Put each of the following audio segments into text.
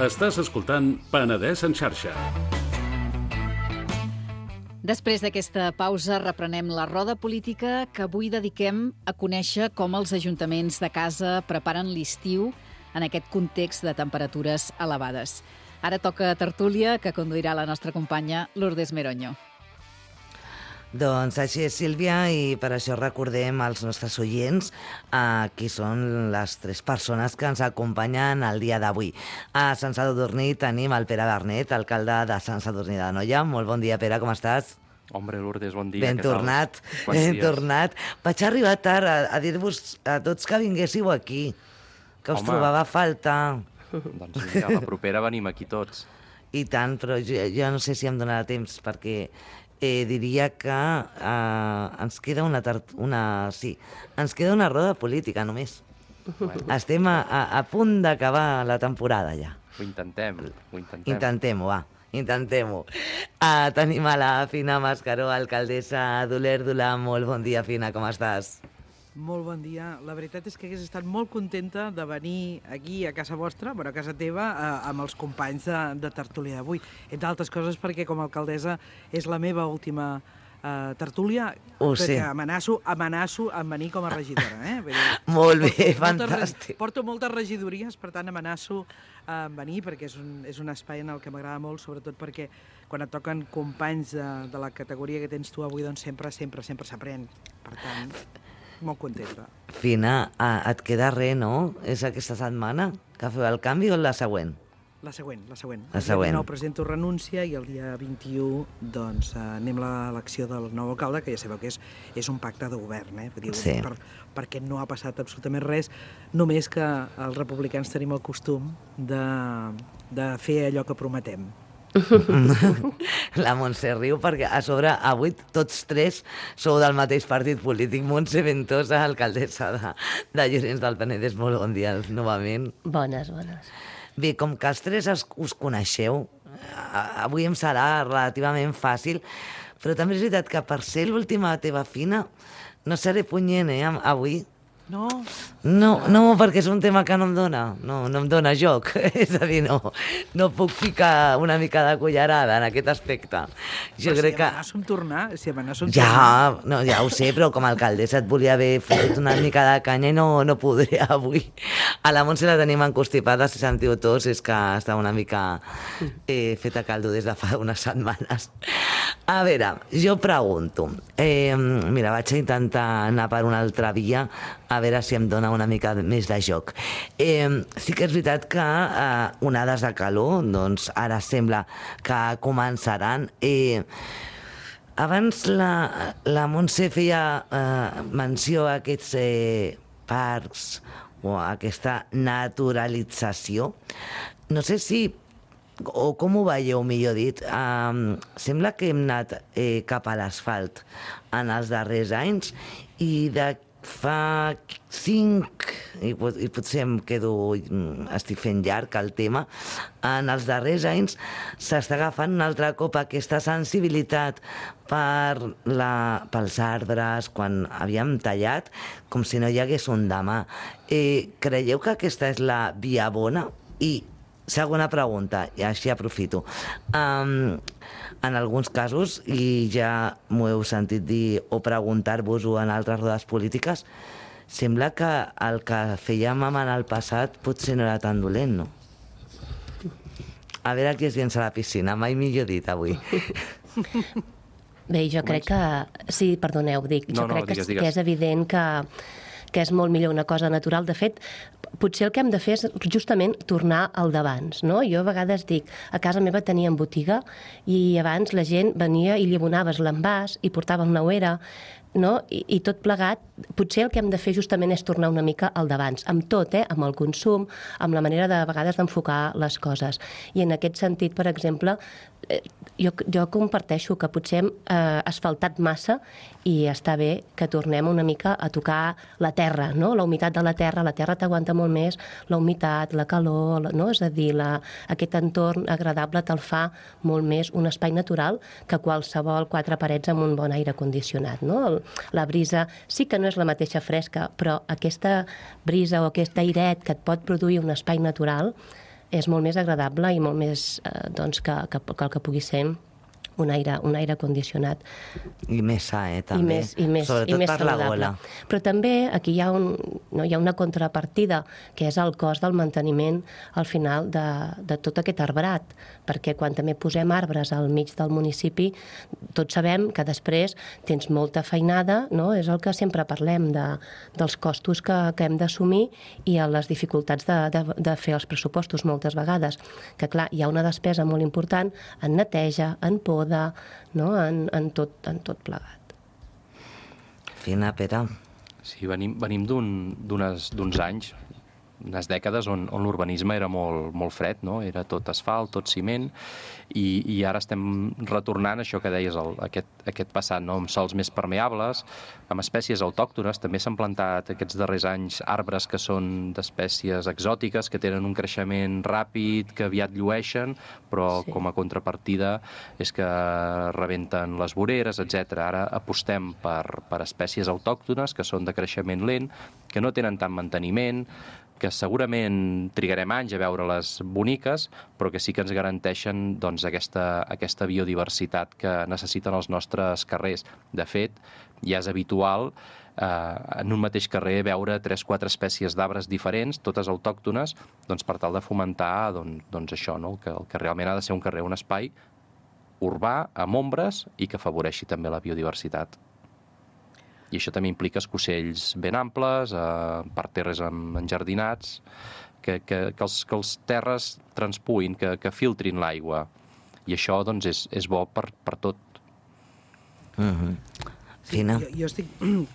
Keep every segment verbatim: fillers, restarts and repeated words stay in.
Estàs escoltant Penedès en xarxa. Després d'aquesta pausa reprenem la roda política que avui dediquem a conèixer com els ajuntaments de casa preparen l'estiu en aquest context de temperatures elevades. Ara toca tertúlia, que conduirà la nostra companya Lourdes Meroño. Doncs així és, Sílvia, i per això recordem als nostres oients eh, qui són les tres persones que ens acompanyen el dia d'avui. A Sant Sadurní tenim el Pere Bernet, alcalde de Sant Sadurní d'Anoia. Molt bon dia, Pere, com estàs? Hombre, Lourdes, bon dia. Ben tornat, ben tornat. Vaig arribar tard a, a dir-vos a tots que vinguéssiu aquí, que us Home. trobava a faltar. Doncs mira, la propera venim aquí tots. I tant, però jo, jo no sé si em donarà temps, perquè eh, diria que eh, ens queda una, una... Sí, ens queda una roda política, només. Bueno. Estem a, a, a punt d'acabar la temporada, ja. Ho intentem, ho intentem. Intentem-ho, va. Intentem-ho. Uh, tenim a la Fina Mascaró, alcaldessa d'Olèrdola. Molt bon dia, Fina, com estàs? Molt bon dia. La veritat és que hagués estat molt contenta de venir aquí a casa vostra, bueno, a casa teva, eh, amb els companys de, de tertúlia d'avui. Entre altres coses perquè com a alcaldessa és la meva última uh, tertúlia, oh, perquè sí. amenaço, amenaço amb venir com a regidora. Eh? Vull dir, molt bé, porto, fantàstic. Moltes, porto moltes regidories, per tant amenaço a venir, perquè és un, és un espai en el que m'agrada molt, sobretot perquè quan et toquen companys de, de la categoria que tens tu avui, doncs sempre, sempre, sempre s'aprèn. Per tant, molt contenta. Fina, et queda res, no? És aquesta setmana que feu el canvi o la següent? La següent, la següent. La següent. El dia dinou presento renúncia i el dia vint-i-u doncs, anem a l'elecció del nou alcalde, que ja sabeu que és, és un pacte de govern, eh? Vull dir, sí. per, perquè no ha passat absolutament res, només que els republicans tenim el costum de, de fer allò que prometem. La Montse riu perquè a sobre avui tots tres sou del mateix partit polític. Montse Ventosa, alcaldessa de, de Llorenç del Penedès. Molt bon dia novament. Bones, bones. Bé, com que els tres us, us coneixeu, avui em serà relativament fàcil, però també és veritat que per ser l'última teva, Fina, no seré punyent, eh, avui. No? No, no, perquè és un tema que no em dona, no, no em dona joc, és a dir, no, no puc ficar una mica de cullerada en aquest aspecte. Jo però crec si que... amenaço amb tornar, si amenaço amb ja, tornar... no, ja ho sé, però com a alcaldessa et volia haver fet una mica de canya i no, no podré avui. A la Montse la tenim encostipada, si sentiu tos, és que està una mica eh, feta caldo des de fa unes setmanes. A veure, jo pregunto, eh, mira, vaig a intentar anar per una altra via, a veure si em dona una mica més de joc. Eh, sí que és veritat que eh, onades de calor, doncs ara sembla que començaran. Eh, abans la, la Montse feia eh, menció a aquests eh, parcs o a aquesta naturalització. No sé si, o com ho veieu, millor dit, eh, sembla que hem anat eh, cap a l'asfalt en els darrers anys i de fa cinc, i, i potser em quedo, estic fent llarg el tema, en els darrers anys s'està agafant un altre cop aquesta sensibilitat per la, pels arbres, quan havíem tallat, com si no hi hagués un demà. Eh, creieu que aquesta és la via bona? I segona pregunta, i així aprofito. Um, en alguns casos, i ja m'ho heu sentit dir o preguntar-vos-ho en altres rodes polítiques, sembla que el que fèiem en el passat potser no era tan dolent, no? A veure qui es llença a la piscina, mai millor dit avui. Bé, jo crec que... Sí, perdoneu, dic. Jo no, no, crec digues, que, digues. que és evident que, que és molt millor una cosa natural. De fet, potser el que hem de fer és justament tornar al d'abans, no? Jo a vegades dic, a casa meva teníem botiga i abans la gent venia i li abonaves l'envàs i portava una ouera, no? I, i tot plegat, potser el que hem de fer justament és tornar una mica al d'abans, amb tot, eh? Amb el consum, amb la manera de, de vegades d'enfocar les coses. I en aquest sentit, per exemple, eh, jo, jo comparteixo que potser hem eh, asfaltat massa i està bé que tornem una mica a tocar la terra, no? La humitat de la terra, la terra t'aguanta molt més, la humitat, la calor, no? És a dir, la, aquest entorn agradable te'l fa molt més un espai natural que qualsevol quatre parets amb un bon aire condicionat, no? El, la brisa sí que no és la mateixa fresca, però aquesta brisa o aquest airet que et pot produir un espai natural és molt més agradable i molt més eh, doncs, que, que, que el que pugui ser un aire, un aire condicionat. I més sa, eh, també. I més, i més, Sobretot i més per saludable. la gola. Però també aquí hi ha, un, no, hi ha una contrapartida, que és el cost del manteniment al final de, de tot aquest arbrat, perquè quan també posem arbres al mig del municipi, tots sabem que després tens molta feinada, no? És el que sempre parlem, de, dels costos que, que hem d'assumir i a les dificultats de, de, de fer els pressupostos moltes vegades, que clar, hi ha una despesa molt important en neteja, en poda, no? en, en, tot, en tot plegat. Fina, Pere. Sí, venim, venim d'uns un, anys, unes dècades on, on l'urbanisme era molt, molt fred, no? Era tot asfalt, tot ciment, i, i ara estem retornant això que deies, el, aquest, aquest passat, no? Amb sòls més permeables, amb espècies autòctones. També s'han plantat aquests darrers anys arbres que són d'espècies exòtiques, que tenen un creixement ràpid, que aviat llueixen, però sí, com a contrapartida és que rebenten les voreres, etcètera. Ara apostem per, per espècies autòctones que són de creixement lent, que no tenen tant manteniment, que segurament trigarem anys a veure-les boniques, però que sí que ens garanteixen doncs, aquesta, aquesta biodiversitat que necessiten els nostres carrers. De fet, ja és habitual eh, en un mateix carrer veure tres o quatre espècies d'arbres diferents, totes autòctones, doncs, per tal de fomentar doncs, doncs això, no? que, que realment ha de ser un carrer, un espai urbà, amb ombres, i que afavoreixi també la biodiversitat. I això també implica escossells ben amples, eh, parterres enjardinats, que, que, que, els, que els terres transpuïn, que, que filtrin l'aigua. I això doncs, és, és bo per, per tot. Mm-hmm. Fina. Jo, jo estic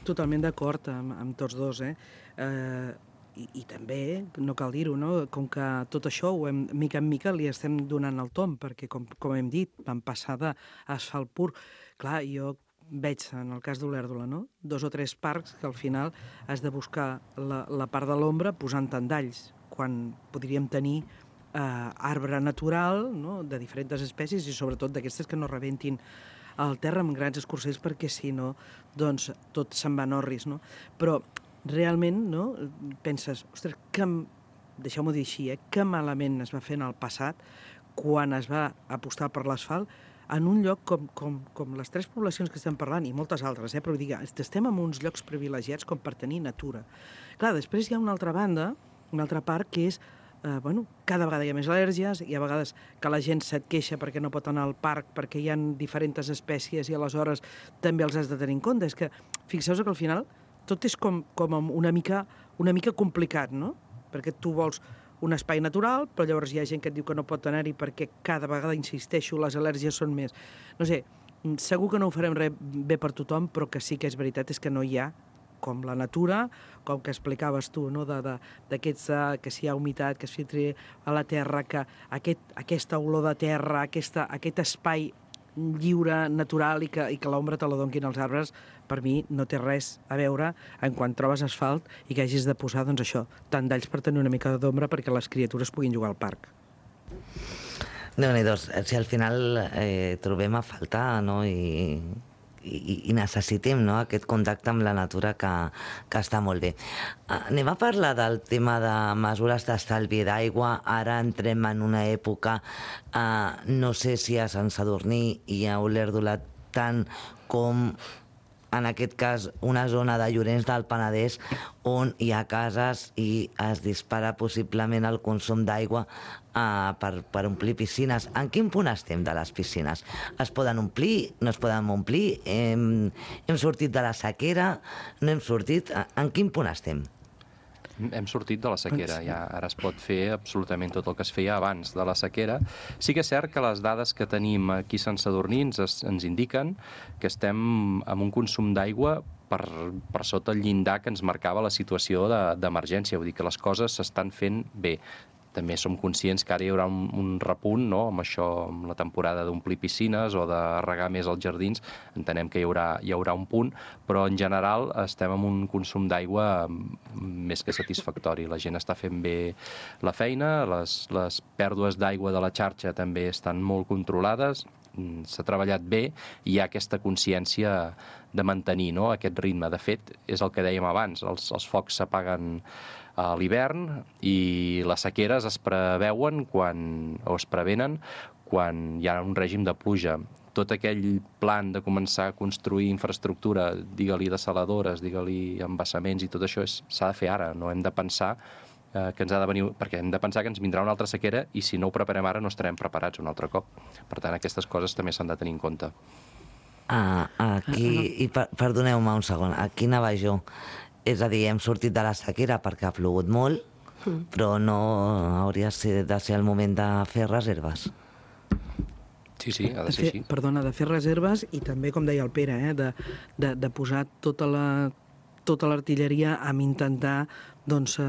totalment d'acord amb, amb tots dos, eh? eh i, I també, no cal dir-ho, no? Com que tot això, ho hem, mica en mica, li estem donant el tom, perquè, com, com hem dit, vam passar d'asfalt pur. Clar, jo veig, en el cas d'Olèrdola, no? Dos o tres parcs que al final has de buscar la, la part de l'ombra posant tendalls, quan podríem tenir eh, arbre natural, no? De diferents espècies i sobretot d'aquestes que no rebentin el terra amb grans escorcells, perquè si no, doncs tot se'n va en orris, no? Però realment, no? Penses, ostres, que, deixeu-m'ho dir així, eh? Que malament es va fer en el passat quan es va apostar per l'asfalt en un lloc com, com, com les tres poblacions que estem parlant, i moltes altres, eh? Però digue, estem en uns llocs privilegiats com per tenir natura. Clar, després hi ha una altra banda, una altra part, que és, eh, bueno, cada vegada hi ha més al·lèrgies, i a vegades que la gent se't queixa perquè no pot anar al parc, perquè hi ha diferents espècies i aleshores també els has de tenir en compte. És que, fixeu-vos que al final tot és com, com una mica, una mica complicat, no? Perquè tu vols un espai natural, però llavors hi ha gent que et diu que no pot anar-hi perquè cada vegada, insisteixo, les al·lèrgies són més. No sé, segur que no ho farem res bé per tothom, però que sí que és veritat és que no hi ha, com la natura, com que explicaves tu, no? de, de, d'aquests, uh, que si hi ha humitat, que es filtri a la terra, que aquest, aquesta olor de terra, aquesta, aquest espai lliure, natural, i que, i que l'ombra te la donquin els arbres, per mi no té res a veure en quan trobes asfalt i que hagis de posar, doncs això, tant d'alls per tenir una mica d'ombra perquè les criatures puguin jugar al parc. Déu-n'hi-do, si al final eh, trobem a faltar, no?, i, i, i necessitem, no?, aquest contacte amb la natura que, que està molt bé. Anem a parlar del tema de mesures d'estalvi d'aigua. Ara entrem en una època, eh, no sé si a Sant Sadurní i a Olèrdola tant com en aquest cas una zona de Llorenç del Penedès on hi ha cases i es dispara possiblement el consum d'aigua uh, per, per omplir piscines. En quin punt estem de les piscines? Es poden omplir? No es poden omplir? Hem, hem sortit de la sequera? No hem sortit? En quin punt estem? Hem sortit de la sequera, ja ara es pot fer absolutament tot el que es feia abans de la sequera. Sí que és cert que les dades que tenim aquí a Sant Sadurní ens, ens indiquen que estem amb un consum d'aigua per, per sota el llindar que ens marcava la situació de, d'emergència, vull dir que les coses s'estan fent bé. També som conscients que ara hi haurà un, un repunt, no?, amb això, amb la temporada d'omplir piscines o de regar més els jardins, entenem que hi haurà, hi haurà un punt, però en general estem amb un consum d'aigua més que satisfactori. La gent està fent bé la feina, les, les pèrdues d'aigua de la xarxa també estan molt controlades, s'ha treballat bé i hi ha aquesta consciència de mantenir, no?, aquest ritme. De fet, és el que dèiem abans, els, els focs s'apaguen a l'hivern i les sequeres es preveuen quan, o es prevenen quan hi ha un règim de pluja. Tot aquell plan de començar a construir infraestructura, digue-li desaladores, digue-li embassaments i tot això s'ha de fer ara, no hem de pensar eh, que ens ha de venir, perquè hem de pensar que ens vindrà una altra sequera i si no ho preparem ara no estarem preparats un altre cop. Per tant, aquestes coses també s'han de tenir en compte. Ah, aquí, i per, perdoneu-me un segon, aquí anava jo. És a dir, hem sortit de la sequera perquè ha plogut molt, mm. però no hauria de ser el moment de fer reserves. Sí, sí, ha de ser fer, així. Perdona, de fer reserves i també, com deia el Pere, eh, de, de, de posar tota la tota l'artilleria amb intentar doncs,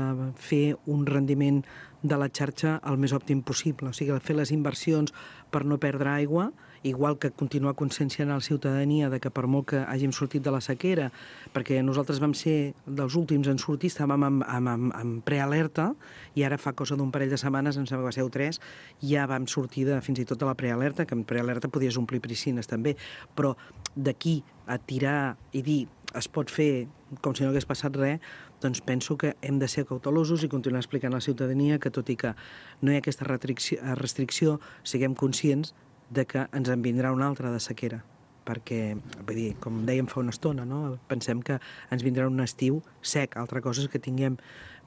fer un rendiment de la xarxa el més òptim possible. O sigui, fer les inversions per no perdre aigua, igual que continuar conscienciant a la ciutadania de que per molt que hàgim sortit de la sequera, perquè nosaltres vam ser dels últims en sortir, estàvem amb, amb, amb, amb prealerta, i ara fa cosa d'un parell de setmanes, em sembla que va ser o tres, ja vam sortir de, fins i tot de la prealerta, que en prealerta podies omplir piscines també, però d'aquí a tirar i dir es pot fer com si no hagués passat res, doncs penso que hem de ser cautelosos i continuar explicant a la ciutadania que tot i que no hi ha aquesta restricció, siguem conscients de que ens en vindrà una altra de sequera. Perquè, vull dir, com dèiem fa una estona, no? Pensem que ens vindrà un estiu sec. Altra cosa és que tinguem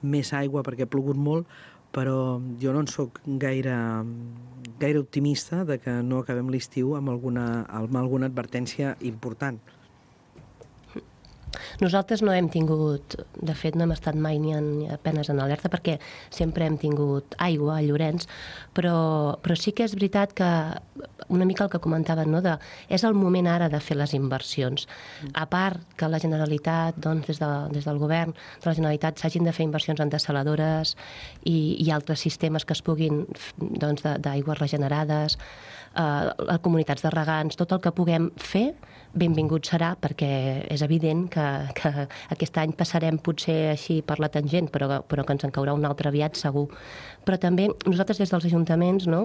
més aigua perquè ha plogut molt, però jo no en soc gaire, gaire optimista de que no acabem l'estiu amb alguna, amb alguna advertència important. Nosaltres no hem tingut, de fet no hem estat mai ni, en, ni apenes en alerta perquè sempre hem tingut aigua a Llorenç, però, però sí que és veritat que una mica el que comentaven, no, de, és el moment ara de fer les inversions. A part que la Generalitat, doncs, des, de, des del govern de la Generalitat s'hagin de fer inversions en desaladores i, i altres sistemes que es puguin, doncs, d'aigües regenerades, eh, comunitats de regants, tot el que puguem fer, benvingut serà, perquè és evident que, que aquest any passarem potser així per la tangent, però, però que ens en caurà un altre aviat segur. Però també nosaltres des dels ajuntaments, no,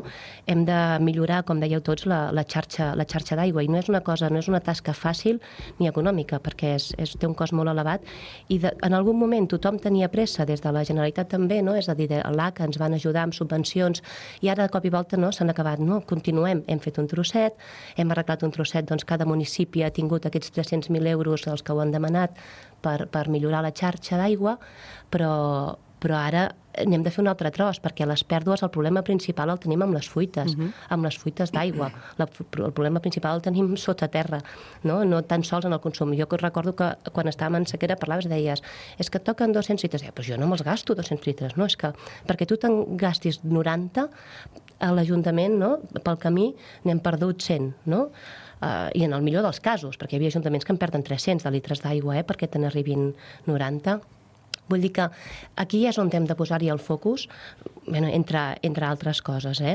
hem de millorar, com dèieu tots, la, la xarxa, la xarxa d'aigua, i no és una cosa, no és una tasca fàcil ni econòmica, perquè és, és, té un cost molt elevat, i de, en algun moment tothom tenia pressa, des de la Generalitat també, no? És a dir, l'A C A ens van ajudar amb subvencions, i ara de cop i volta no, s'han acabat, no, continuem, hem fet un trosset, hem arreglat un trosset, doncs cada municipi ha tingut aquests tres-cents mil euros dels que ho han demanat per, per millorar la xarxa d'aigua, però, però ara n'hem de fer un altre tros, perquè les pèrdues, el problema principal el tenim amb les fuites, uh-huh. amb les fuites d'aigua. La, el problema principal el tenim sota terra, no? No tan sols en el consum. Jo recordo que quan estàvem en sequera parlaves i deies, és que et toquen dos-cents litres. Eh, però jo no me'ls gasto dos-cents litres, no? És que perquè tu te'n gastis noranta, a l'Ajuntament, no? Pel camí n'hem perdut cent, no? Uh, i en el millor dels casos, perquè hi havia ajuntaments que en perden tres-cents de litres d'aigua, eh, perquè te n'arribin noranta. Vull dir que aquí és on hem de posar-hi el focus, bueno, entre, entre altres coses, eh?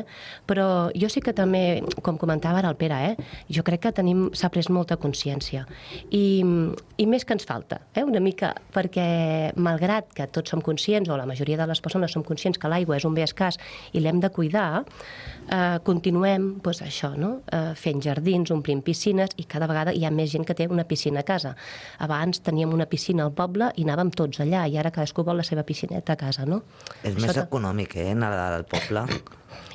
Però jo sí que també, com comentava ara el Pere, eh? Jo crec que tenim, s'ha pres molta consciència. I, i més que ens falta, eh? Una mica, perquè malgrat que tots som conscients, o la majoria de les persones som conscients que l'aigua és un bé escàs i l'hem de cuidar, eh, continuem, doncs això, no? Eh, fent jardins, omplint piscines, i cada vegada hi ha més gent que té una piscina a casa. Abans teníem una piscina al poble i anàvem tots allà, i ara cadascú vol la seva piscineta a casa, no? És Això més t... econòmic, eh, anar al poble.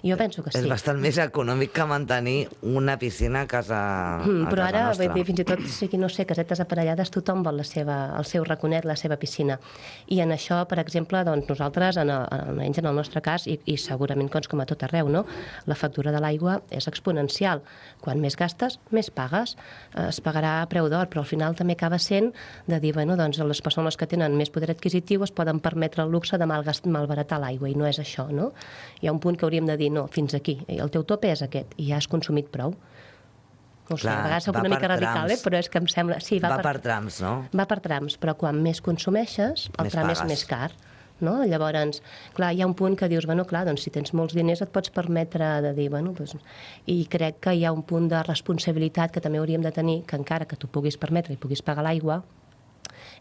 Jo penso que sí. És bastant més econòmic que mantenir una piscina a casa, mm, a però casa ara, nostra. Però ara, fins i tot, sigui, no sé, casetes aparellades, tothom vol la seva, el seu raconet, la seva piscina. I en això, per exemple, doncs, nosaltres, en el, almenys en el nostre cas, i, i segurament doncs, com a tot arreu, no? La factura de l'aigua és exponencial. Quan més gastes, més pagues. Es pagarà a preu d'or, però al final també acaba sent de dir, bueno, doncs les persones que tenen més poder adquisitiu es poden permetre el luxe de malbaratar l'aigua, i no és això, no? Hi ha un punt que hauríem de dir, no, fins aquí, el teu tope és aquest, i ja has consumit prou. No sé, Clar, a vegades soc una mica radical, eh? Però és que em sembla... Sí, va, va per, per trams, no? Va per trams, però quan més consumeixes, el més tram pagues. És més car. No? Llavors, clar, hi ha un punt que dius, bueno, clar, doncs si tens molts diners et pots permetre de dir, bueno, doncs... I crec que hi ha un punt de responsabilitat que també hauríem de tenir, que encara que tu puguis permetre i puguis pagar l'aigua,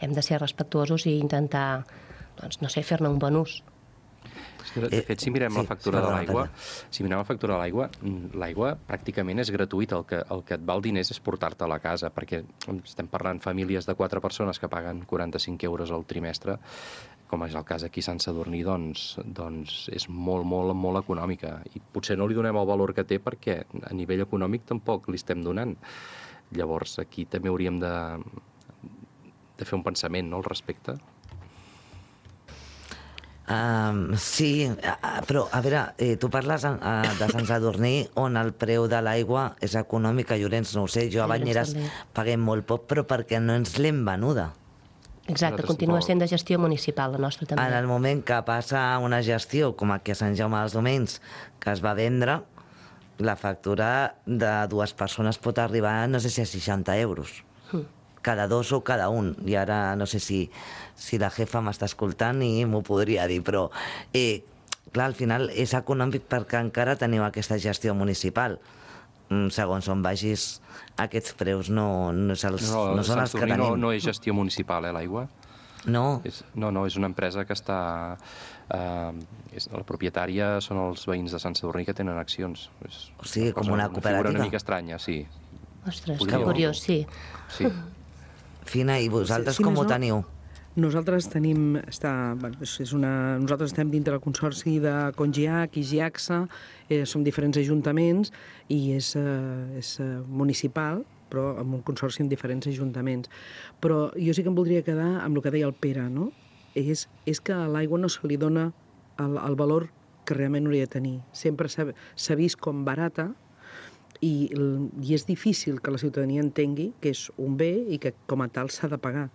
hem de ser respectuosos i intentar, doncs, no sé, fer-ne un bon ús. De fet, si mirem la factura de l'aigua, si mirem la factura de l'aigua, l'aigua pràcticament és gratuïta. El que, el que et val diners és portar-te a la casa, perquè estem parlant famílies de quatre persones que paguen quaranta-cinc euros al trimestre. com és el cas aquí a Sant Sadurní, doncs, doncs és molt, molt, molt econòmica. I potser no li donem el valor que té perquè a nivell econòmic tampoc li estem donant. Llavors, aquí també hauríem de, de fer un pensament, no?, al respecte. Um, sí, però a veure, eh, tu parles uh, de Sant Sadurní on el preu de l'aigua és econòmic, a Llorenç no ho sé, jo a Banyeres paguem molt poc, però perquè no ens l'hem venuda. Exacte, continua sent de gestió municipal, la nostra també. En el moment que passa una gestió, com aquí a Sant Jaume dels Domenys, que es va vendre, la factura de dues persones pot arribar, no sé si a seixanta euros. Mm. Cada dos o cada un. I ara no sé si, si la jefa m'està escoltant i m'ho podria dir, però eh, clar, al final és econòmic perquè encara teniu aquesta gestió municipal. Segons on vagis, aquests preus no, no, els, no, no són els que tenim. No, no és gestió municipal, eh, l'aigua? No. És, no, no, és una empresa que està... Eh, és, la propietària són els veïns de Sant Sadurní que tenen accions. És o sigui, com una cooperativa. Una figura una mica estranya, sí. Ostres, que curiós, sí. Sí. Fina, i vosaltres sí, com ho teniu? Nosaltres tenim... Està, bueno, és una, nosaltres estem dintre del consorci de Congiac i Giaxa, eh, som diferents ajuntaments i és, eh, és eh, municipal, però amb un consorci amb diferents ajuntaments. Però jo sí que em voldria quedar amb el que deia el Pere, no? És, és que a l'aigua no se li dona el, el valor que realment hauria de tenir. Sempre s'ha vist com barata, I, i és difícil que la ciutadania entengui que és un bé i que com a tal s'ha de pagar.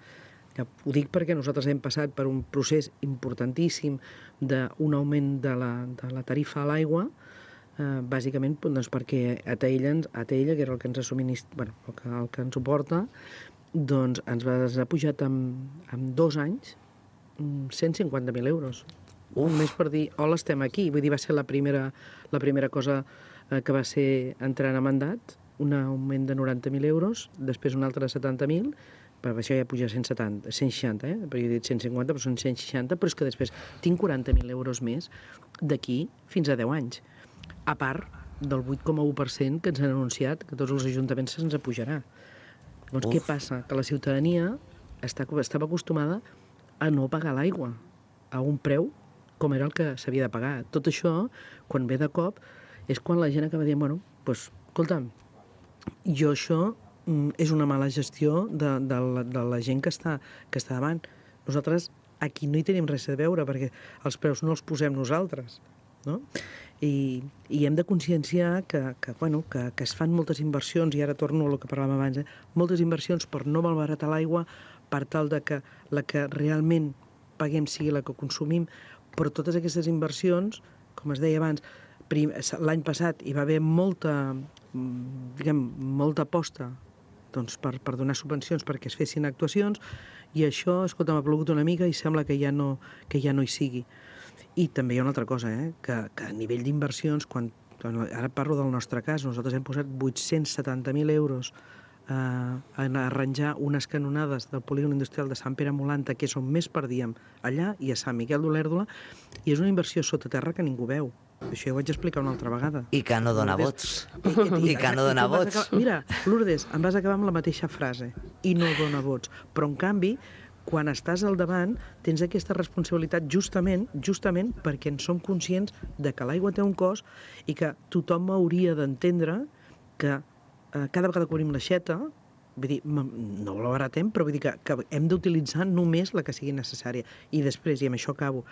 Ja, ho dic perquè nosaltres hem passat per un procés importantíssim d'un augment de la, de la tarifa a l'aigua, eh, bàsicament doncs, perquè a Taella, a Taella, que era el que ens ha subministrat, bueno, el que, el que ens suporta, doncs ens va, ens ha pujat en, en dos anys cent cinquanta mil euros. Uf. Només per dir, hola, estem aquí. Vull dir, va ser la primera, la primera cosa que va ser entrar a mandat, un augment de noranta mil euros, després un altre de setanta mil, però això ja puja a cent setanta, cent seixanta, eh? Perquè he dit cent cinquanta, però són cent seixanta, però és que després tinc quaranta mil euros més d'aquí fins a deu anys. A part del vuit coma u per cent que ens han anunciat que tots els ajuntaments se'ns apujarà. Doncs Uf. Què passa? Que la ciutadania està, estava acostumada a no pagar l'aigua a un preu com era el que s'havia de pagar. Tot això, quan ve de cop, és quan la gent acaba dient, bueno, doncs, escolta'm, jo això mm, és una mala gestió de, de, la, de la gent que està, que està davant. Nosaltres aquí no hi tenim res a veure, perquè els preus no els posem nosaltres, no? I, i hem de conscienciar que, que, bueno, que, que es fan moltes inversions, i ara torno a el que parlàvem abans, eh? moltes inversions per no malbaratar l'aigua, per tal de que la que realment paguem sigui la que consumim, però totes aquestes inversions, com es deia abans, l'any passat hi va haver molta, diguem, molta aposta doncs, per, per donar subvencions perquè es fessin actuacions, i això, escolta, m'ha plogut una mica i sembla que ja no, que ja no hi sigui. I també hi ha una altra cosa, eh? que, que a nivell d'inversions, quan, ara parlo del nostre cas, nosaltres hem posat vuit-cents setanta mil euros eh, en arranjar unes canonades del polígon industrial de Sant Pere Molanta, que és on més perdíem, allà i a Sant Miquel d'Olèrdola, i és una inversió sota terra que ningú veu. Això ja ho vaig explicar una altra vegada. I que no dona vots. I, i, I que no dona vots. Acabar... Mira, Lourdes, em vas acabar amb la mateixa frase. I no dona vots. Però, en canvi, quan estàs al davant, tens aquesta responsabilitat justament justament perquè en som conscients de que l'aigua té un cost i que tothom hauria d'entendre que eh, cada vegada que obrim l'aixeta, vull dir, no la baratem, però vull dir que, que hem d'utilitzar només la que sigui necessària. I després, i amb això acabo,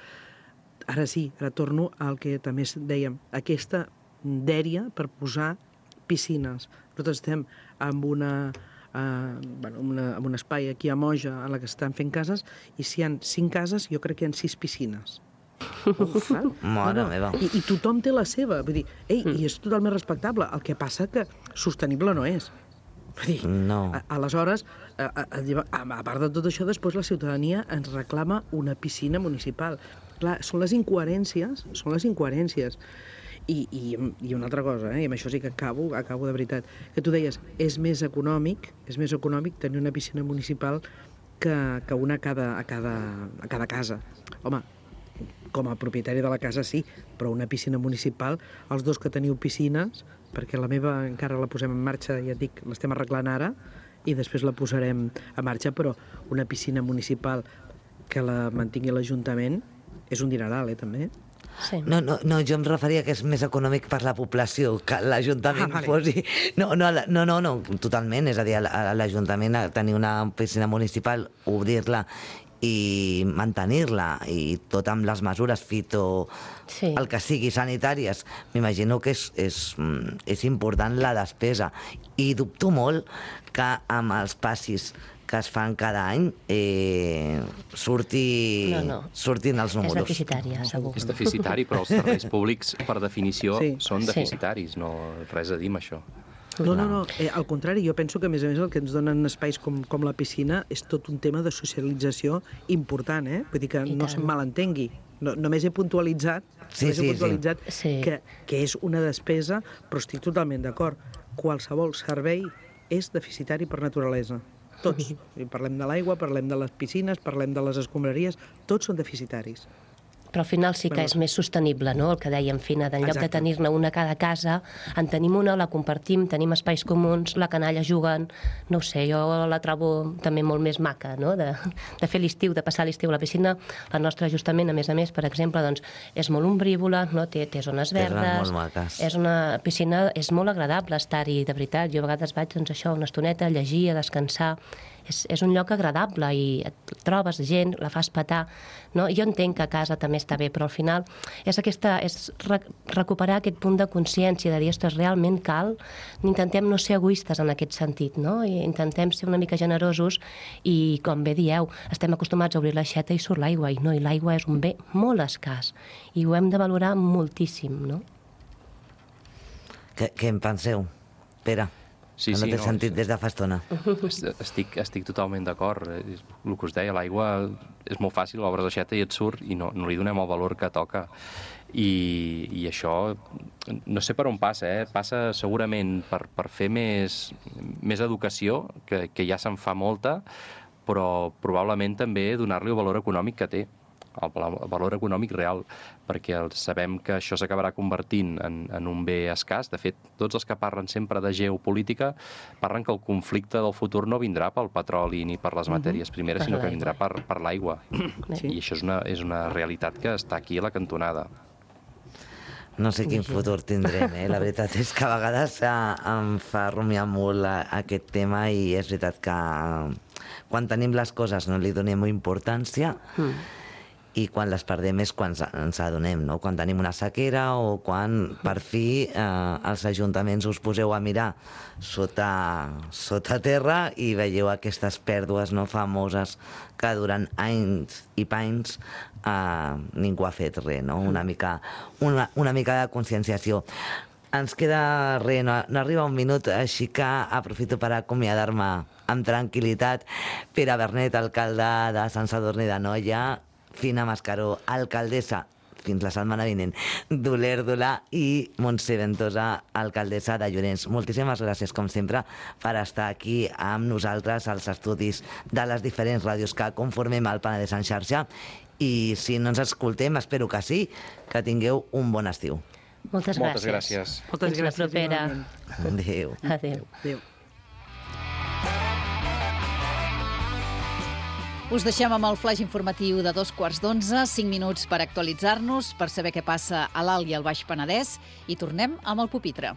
ara sí, ara torno al que també dèiem, aquesta dèria per posar piscines. Nosaltres estem amb, una, uh, bueno, una, amb un espai aquí a Moja en la que estan fent cases, i si hi ha cinc cases, jo crec que hi ha sis piscines. Uf, Mare no, meva. I, I tothom té la seva. Vull dir, ei, mm. i és totalment respectable. El que passa que sostenible no és. Vull dir, no. a, aleshores, a, a, a, a part de tot això, després la ciutadania ens reclama una piscina municipal. Clar, són les incoherències, són les incoherències. I, i, i una altra cosa, eh? I amb això sí que acabo, acabo de veritat, que tu deies, és més econòmic, és més econòmic tenir una piscina municipal que, que una a cada, a, cada, a cada casa. Home, com a propietari de la casa sí, però una piscina municipal, els dos que teniu piscines, perquè la meva encara la posem en marxa, ja et dic, l'estem arreglant ara, i després la posarem a marxa, però una piscina municipal que la mantingui l'Ajuntament és un dineral, eh, també. Sí. No, no, no, jo em referia que és més econòmic per la població, que l'Ajuntament Ah, vale. posi... No, no, no, no, no, totalment. És a dir, a l'Ajuntament tenir una piscina municipal, obrir-la i mantenir-la, i tot amb les mesures fito, Sí. el que sigui, sanitàries, m'imagino que és, és, és important la despesa. I dubto molt que amb els passis que es fan cada any eh, surti, No, no. surtin els És números. deficitària, segur. És deficitari, però els serveis públics, per definició, Sí. són Sí. deficitaris, no res a dir amb això. No, no, no. Eh, al contrari, jo penso que, a més a més, el que ens donen espais com, com la piscina és tot un tema de socialització important, eh? Vull dir que I no tant. se'm malentengui. No, només he puntualitzat, Sí, només sí, he puntualitzat sí. que, que és una despesa, però estic totalment d'acord. Qualsevol servei és deficitari per naturalesa. Tots. I parlem de l'aigua, parlem de les piscines, parlem de les escombraries, tots són deficitaris. Però al final sí que és més sostenible, no?, el que dèiem, Fina, d'en lloc de Exacte. tenir-ne una a cada casa, en tenim una, la compartim, tenim espais comuns, la canalla juguen, no ho sé, jo la trobo també molt més maca, no?, de, de fer l'estiu, de passar l'estiu a la piscina. La nostra, justament, a més a més, per exemple, doncs, és molt ombrívola, no?, té, té zones Té zones verdes, molt maques. és una piscina, és molt agradable estar-hi, de veritat. Jo a vegades vaig, doncs això, una estoneta, a llegir, a descansar. És, és un lloc agradable i et trobes gent, la fas petar, no? Jo entenc que a casa també està bé, però al final és, aquesta, és re recuperar aquest punt de consciència, de dir, ostres, realment cal, intentem no ser egoistes en aquest sentit, no? I intentem ser una mica generosos i, com bé dieu, estem acostumats a obrir l'aixeta i surt l'aigua, i no, i l'aigua és un bé molt escàs, i ho hem de valorar moltíssim, no? Què, què en penseu, Pere? Sí, no sí, t'he no, sentit sí. des de fa estona. Estic, estic totalment d'acord. És el que us deia, l'aigua és molt fàcil, obres l'aixeta i et surt i no, no li donem el valor que toca. I, i això, no sé per on passa, eh? Passa segurament per, per fer més, més educació, que, que ja se'n fa molta, però probablement també donar-li el valor econòmic que té, el valor econòmic real, perquè sabem que això s'acabarà convertint en, en un bé escàs. De fet, tots els que parlen sempre de geopolítica parlen que el conflicte del futur no vindrà pel petroli ni per les matèries primeres, Per sinó que l'aigua. vindrà per, per l'aigua. Sí. I això és una, és una realitat que està aquí a la cantonada. No sé quin futur tindrem, eh? La veritat és que a vegades eh, em fa rumiar molt a, aquest tema i és veritat que quan tenim les coses no li donem importància mm. i quan les perdem és quan ens adonem, no? Quan tenim una sequera o quan per fi eh, els ajuntaments us poseu a mirar sota, sota terra i veieu aquestes pèrdues no, famoses que durant anys i panys eh, ningú ha fet res, no? Una mica, una, una mica de conscienciació. Ens queda res, no, no arriba un minut, així que aprofito per acomiadar-me amb tranquil·litat. Pere Bernet, alcalde de Sant Sadurní d'Anoia, Fina Mascaró, alcaldessa, fins la setmana vinent, d'Olèrdola, i Montse Ventosa, alcaldessa de Llorenç. Moltíssimes gràcies, com sempre, per estar aquí amb nosaltres als estudis de les diferents ràdios que conformem el Penedès en xarxa. I si no ens escoltem, espero que sí, que tingueu un bon estiu. Moltes gràcies. Moltes gràcies. Moltes Fins la gràcies. propera. igualment. Adéu. Adéu. Adéu. Us deixem amb el flaix informatiu de dos quarts d'onze, cinc minuts per actualitzar-nos, per saber què passa a l'Alt i al Baix Penedès, i tornem amb el pupitre.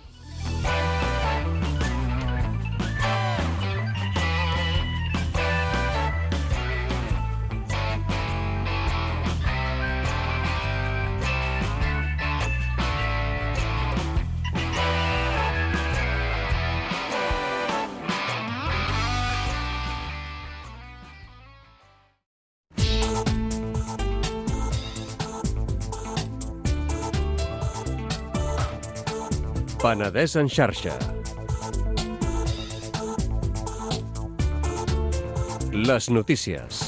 Penedès en xarxa. Les notícies.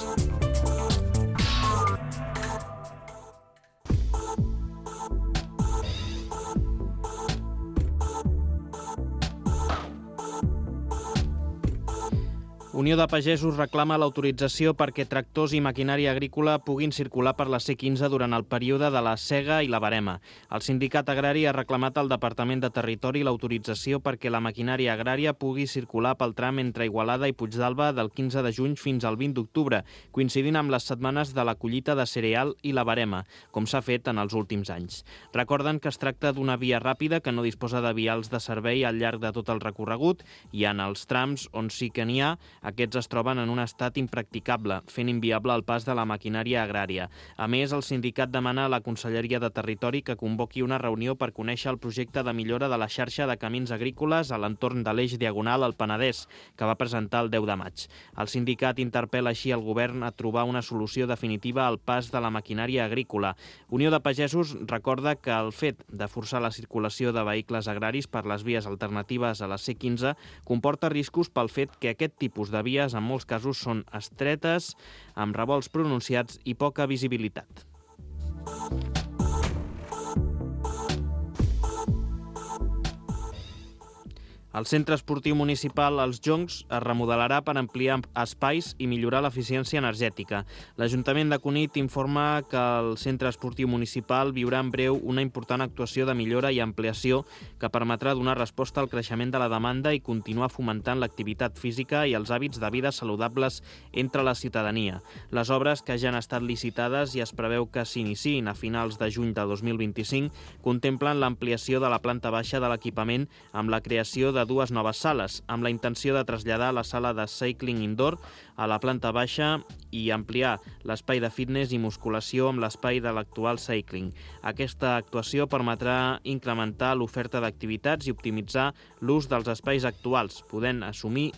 Unió de Pagesos reclama l'autorització perquè tractors i maquinària agrícola puguin circular per la C quinze durant el període de la sega i la verema. El sindicat agrari ha reclamat al Departament de Territori l'autorització perquè la maquinària agrària pugui circular pel tram entre Igualada i Puigdàlber del quinze de juny fins al vint d'octubre, coincidint amb les setmanes de la collita de cereal i la verema, com s'ha fet en els últims anys. Recorden que es tracta d'una via ràpida que no disposa de vials de servei al llarg de tot el recorregut i en els trams on sí que n'hi ha, aquests es troben en un estat impracticable, fent inviable el pas de la maquinària agrària. A més, el sindicat demana a la Conselleria de Territori que convoqui una reunió per conèixer el projecte de millora de la xarxa de camins agrícoles a l'entorn de l'eix diagonal al Penedès, que va presentar el deu de maig. El sindicat interpel·la així el govern a trobar una solució definitiva al pas de la maquinària agrícola. Unió de Pagesos recorda que el fet de forçar la circulació de vehicles agraris per les vies alternatives a la C quinze comporta riscos pel fet que aquest tipus de vies en molts casos són estretes, amb revolts pronunciats i poca visibilitat. El centre esportiu municipal Els Joncs es remodelarà per ampliar espais i millorar l'eficiència energètica. L'Ajuntament de Cunit informa que el centre esportiu municipal viurà en breu una important actuació de millora i ampliació que permetrà donar resposta al creixement de la demanda i continuar fomentant l'activitat física i els hàbits de vida saludables entre la ciutadania. Les obres, que ja han estat licitades i es preveu que s'iniciïn a finals de juny de dos mil vint-i-cinc, contemplen l'ampliació de la planta baixa de l'equipament amb la creació de de dues noves sales, amb la intenció de traslladar la sala de cycling indoor a la planta baixa i ampliar l'espai de fitness i musculació amb l'espai de l'actual cycling. Aquesta actuació permetrà incrementar l'oferta d'activitats i optimitzar l'ús dels espais actuals, podent assumir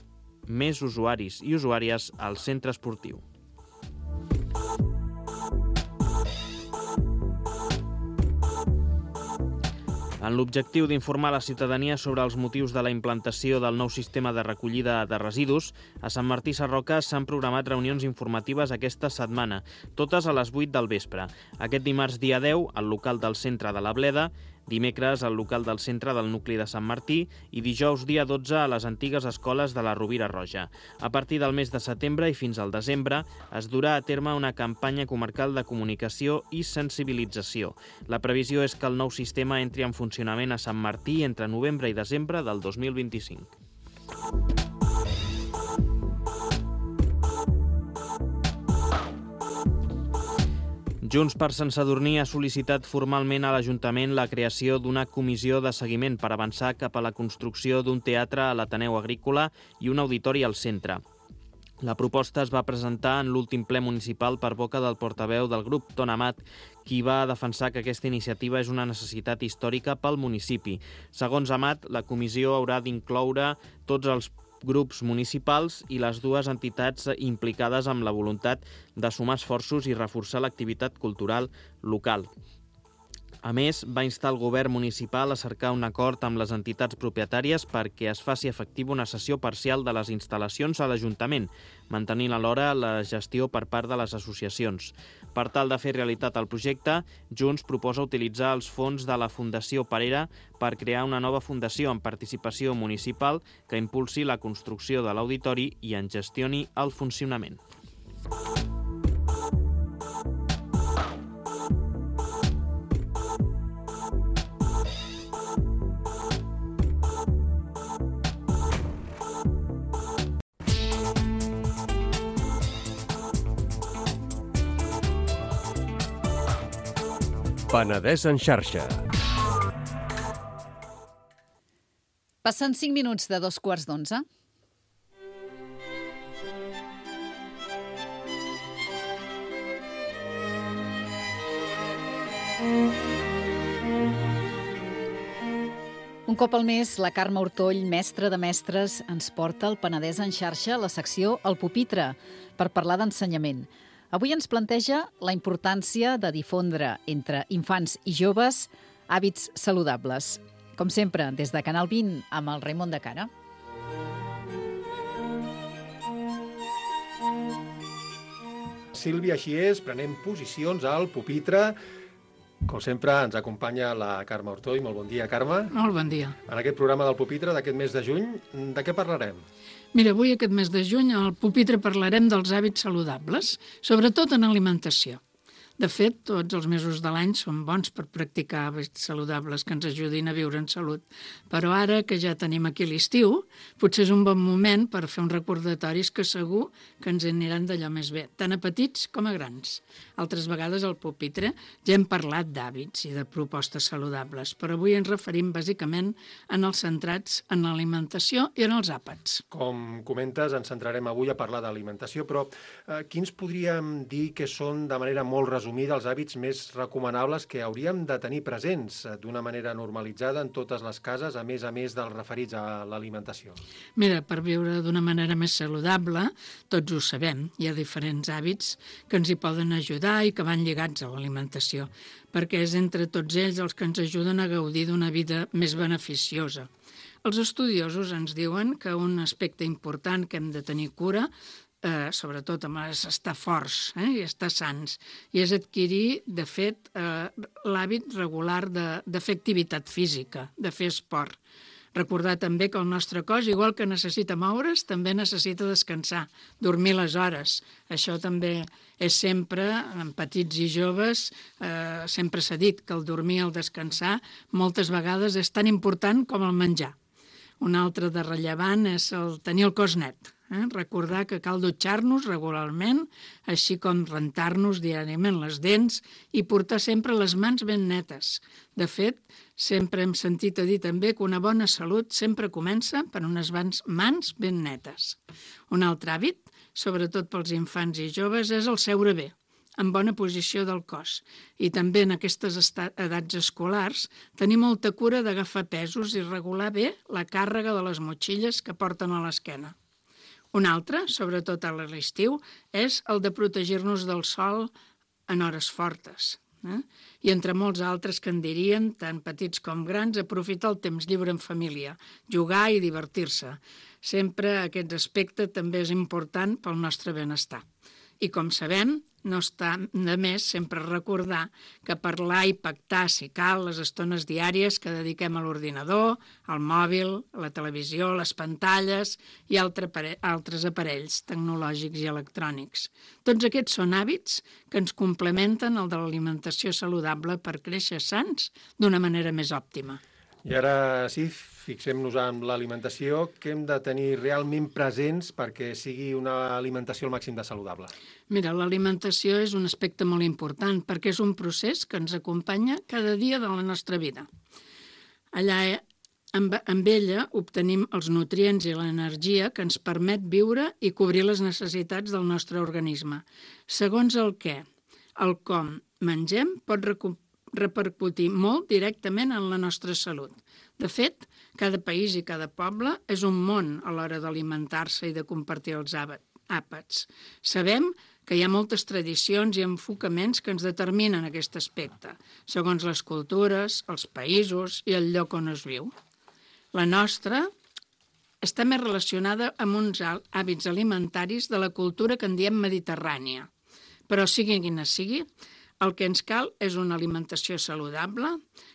més usuaris i usuàries al centre esportiu. En l'objectiu d'informar la ciutadania sobre els motius de la implantació del nou sistema de recollida de residus, a Sant Martí Sarroca s'han programat reunions informatives aquesta setmana, totes a les vuit del vespre. Aquest dimarts dia deu, al local del centre de la Bleda, dimecres al local del centre del nucli de Sant Martí i dijous dia dotze a les antigues escoles de la Rovira Roja. A partir del mes de setembre i fins al desembre es durà a terme una campanya comarcal de comunicació i sensibilització. La previsió és que el nou sistema entri en funcionament a Sant Martí entre novembre i desembre del dos mil vint-i-cinc. Junts per Sant Sadurní ha sol·licitat formalment a l'Ajuntament la creació d'una comissió de seguiment per avançar cap a la construcció d'un teatre a l'Ateneu Agrícola i un auditori al centre. La proposta es va presentar en l'últim ple municipal per boca del portaveu del grup, Ton Amat, qui va defensar que aquesta iniciativa és una necessitat històrica pel municipi. Segons Amat, la comissió haurà d'incloure tots els grups municipals i les dues entitats implicades amb la voluntat de sumar esforços i reforçar l'activitat cultural local. A més, va instar el govern municipal a cercar un acord amb les entitats propietàries perquè es faci efectiva una cessió parcial de les instal·lacions a l'Ajuntament, mantenint alhora la gestió per part de les associacions. Per tal de fer realitat el projecte, Junts proposa utilitzar els fons de la Fundació Parera per crear una nova fundació amb participació municipal que impulsi la construcció de l'auditori i en gestioni el funcionament. Penedès en xarxa. Passen cinc minuts de dos quarts d'onze. Un cop al mes, la Carme Hortoll, mestra de mestres, ens porta al Penedès en xarxa la secció El Pupitre, per parlar d'ensenyament. Avui ens planteja la importància de difondre entre infants i joves hàbits saludables. Com sempre, des de Canal vint, amb el Raimon de Cara. Sílvia, així és, prenem posicions al pupitre. Com sempre, ens acompanya la Carme Ortoll. Molt bon dia, Carme. Molt bon dia. En aquest programa del Pupitre d'aquest mes de juny, de què parlarem? Mira, avui aquest mes de juny al Pupitre parlarem dels hàbits saludables, sobretot en alimentació. De fet, tots els mesos de l'any són bons per practicar hàbits saludables que ens ajudin a viure en salut. Però ara que ja tenim aquí l'estiu, potser és un bon moment per fer uns recordatoris que segur que ens aniran d'allò més bé, tant a petits com a grans. Altres vegades al Pupitre ja hem parlat d'hàbits i de propostes saludables, però avui ens referim bàsicament en els centrats en l'alimentació i en els àpats. Com comentes, ens centrarem avui a parlar d'alimentació, però eh, quins podríem dir que són de manera molt resumida els hàbits més recomanables que hauríem de tenir presents d'una manera normalitzada en totes les cases, a més a més dels referits a l'alimentació? Mira, per viure d'una manera més saludable, tots ho sabem, hi ha diferents hàbits que ens hi poden ajudar i que van lligats a l'alimentació, perquè és entre tots ells els que ens ajuden a gaudir d'una vida més beneficiosa. Els estudiosos ens diuen que un aspecte important que hem de tenir cura Eh, sobretot amb és estar forts eh, i estar sans, i és adquirir, de fet, eh, l'hàbit regular de, de fer activitat física, de fer esport. Recordar també que el nostre cos, igual que necessita moure's, també necessita descansar, dormir les hores. Això també és sempre, en petits i joves, eh, sempre s'ha dit que el dormir i el descansar moltes vegades és tan important com el menjar. Un altre de rellevant és el tenir el cos net. Eh? Recordar que cal dutxar-nos regularment, així com rentar-nos diàriament les dents i portar sempre les mans ben netes. De fet, sempre hem sentit a dir també que una bona salut sempre comença per unes mans ben netes. Un altre hàbit, sobretot pels infants i joves, és el seure bé, en bona posició del cos. I també en aquestes edats escolars tenir molta cura d'agafar pesos i regular bé la càrrega de les motxilles que porten a l'esquena. Un altre, sobretot a l'estiu, és el de protegir-nos del sol en hores fortes. Eh? I entre molts altres que en dirien, tant petits com grans, aprofitar el temps lliure en família, jugar i divertir-se. Sempre aquest aspecte també és important pel nostre benestar. I com sabem, no està de més sempre recordar que parlar i pactar, si cal, les estones diàries que dediquem a l'ordinador, al mòbil, a la televisió, les pantalles i altres aparells tecnològics i electrònics. Tots aquests són hàbits que ens complementen el de l'alimentació saludable per créixer sants d'una manera més òptima. I ara sí, fixem-nos en l'alimentació. Què hem de tenir realment presents perquè sigui una alimentació al màxim de saludable? Mira, l'alimentació és un aspecte molt important perquè és un procés que ens acompanya cada dia de la nostra vida. Allà, amb, amb ella, obtenim els nutrients i l'energia que ens permet viure i cobrir les necessitats del nostre organisme. Segons el què, el com mengem pot recuperar repercutir molt directament en la nostra salut. De fet, cada país i cada poble és un món a l'hora d'alimentar-se i de compartir els àpats. Sabem que hi ha moltes tradicions i enfocaments que ens determinen aquest aspecte, segons les cultures, els països i el lloc on es viu. La nostra està més relacionada amb uns hàbits alimentaris de la cultura que en diem mediterrània. Però sigui quina sigui, el que ens cal és una alimentació saludable,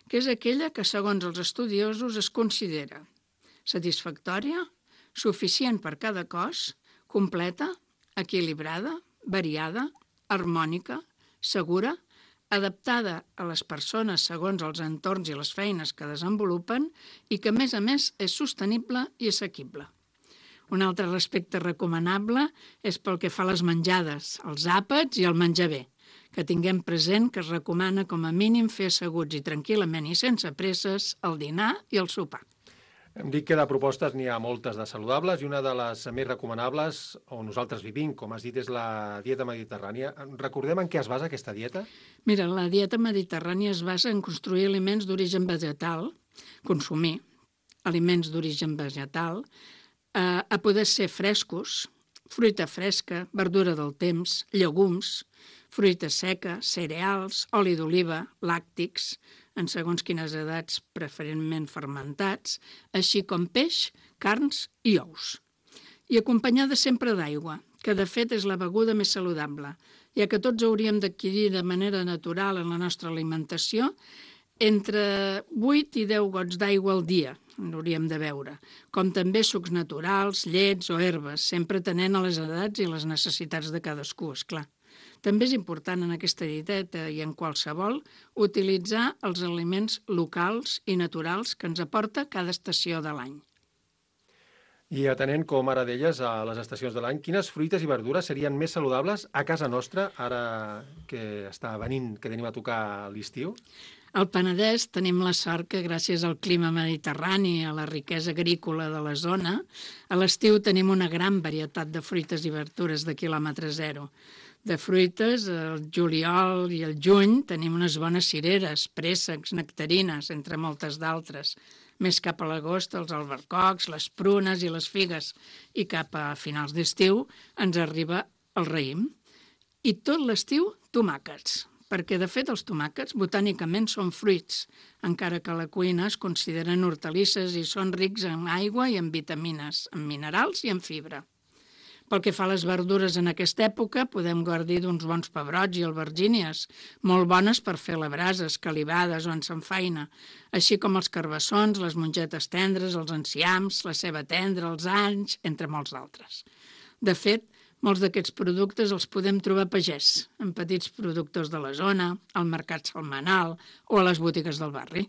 que és aquella que, segons els estudiosos, es considera satisfactòria, suficient per cada cos, completa, equilibrada, variada, harmònica, segura, adaptada a les persones segons els entorns i les feines que desenvolupen i que, a més a més, és sostenible i assequible. Un altre aspecte recomanable és pel que fa a les menjades, els àpats i el menjar bé, que tinguem present que es recomana com a mínim fer asseguts i tranquil·lament i sense presses el dinar i el sopar. Hem dit que de propostes n'hi ha moltes de saludables i una de les més recomanables on nosaltres vivim, com has dit, és la dieta mediterrània. Recordem en què es basa aquesta dieta? Mira, la dieta mediterrània es basa en construir aliments d'origen vegetal, consumir aliments d'origen vegetal, eh, a poder ser frescos, fruita fresca, verdura del temps, llegums, fruita seca, cereals, oli d'oliva, làctics, en segons quines edats preferentment fermentats, així com peix, carns i ous. I acompanyada sempre d'aigua, que de fet és la beguda més saludable, ja que tots hauríem d'adquirir de manera natural en la nostra alimentació entre vuit i deu gots d'aigua al dia, hauríem de beure, com també sucs naturals, llets o herbes, sempre atenent a les edats i les necessitats de cadascú, esclar. També és important en aquesta dieteta i en qualsevol utilitzar els aliments locals i naturals que ens aporta cada estació de l'any. I atenent, com ara deies, a les estacions de l'any, quines fruites i verdures serien més saludables a casa nostra, ara que està venint, que tenim a tocar l'estiu? Al Penedès tenim la sort que gràcies al clima mediterrani, a la riquesa agrícola de la zona, a l'estiu tenim una gran varietat de fruites i verdures de quilòmetre zero. De fruites, el juliol i el juny tenim unes bones cireres, préssecs, nectarines, entre moltes d'altres. Més cap a l'agost els albercocs, les prunes i les figues. I cap a finals d'estiu ens arriba el raïm. I tot l'estiu, tomàquets. Perquè, de fet, els tomàquets botànicament són fruits, encara que a la cuina es consideren hortalisses i són rics en aigua i en vitamines, en minerals i en fibra. Pel que fa a les verdures en aquesta època, podem gaudir d'uns bons pebrots i albergínies, molt bones per fer a la brasa, escalivades o en samfaina, així com els carbassons, les mongetes tendres, els enciams, la ceba tendra, els anys, entre molts d'altres. De fet, molts d'aquests productes els podem trobar a pagès, en petits productors de la zona, al mercat setmanal o a les botigues del barri.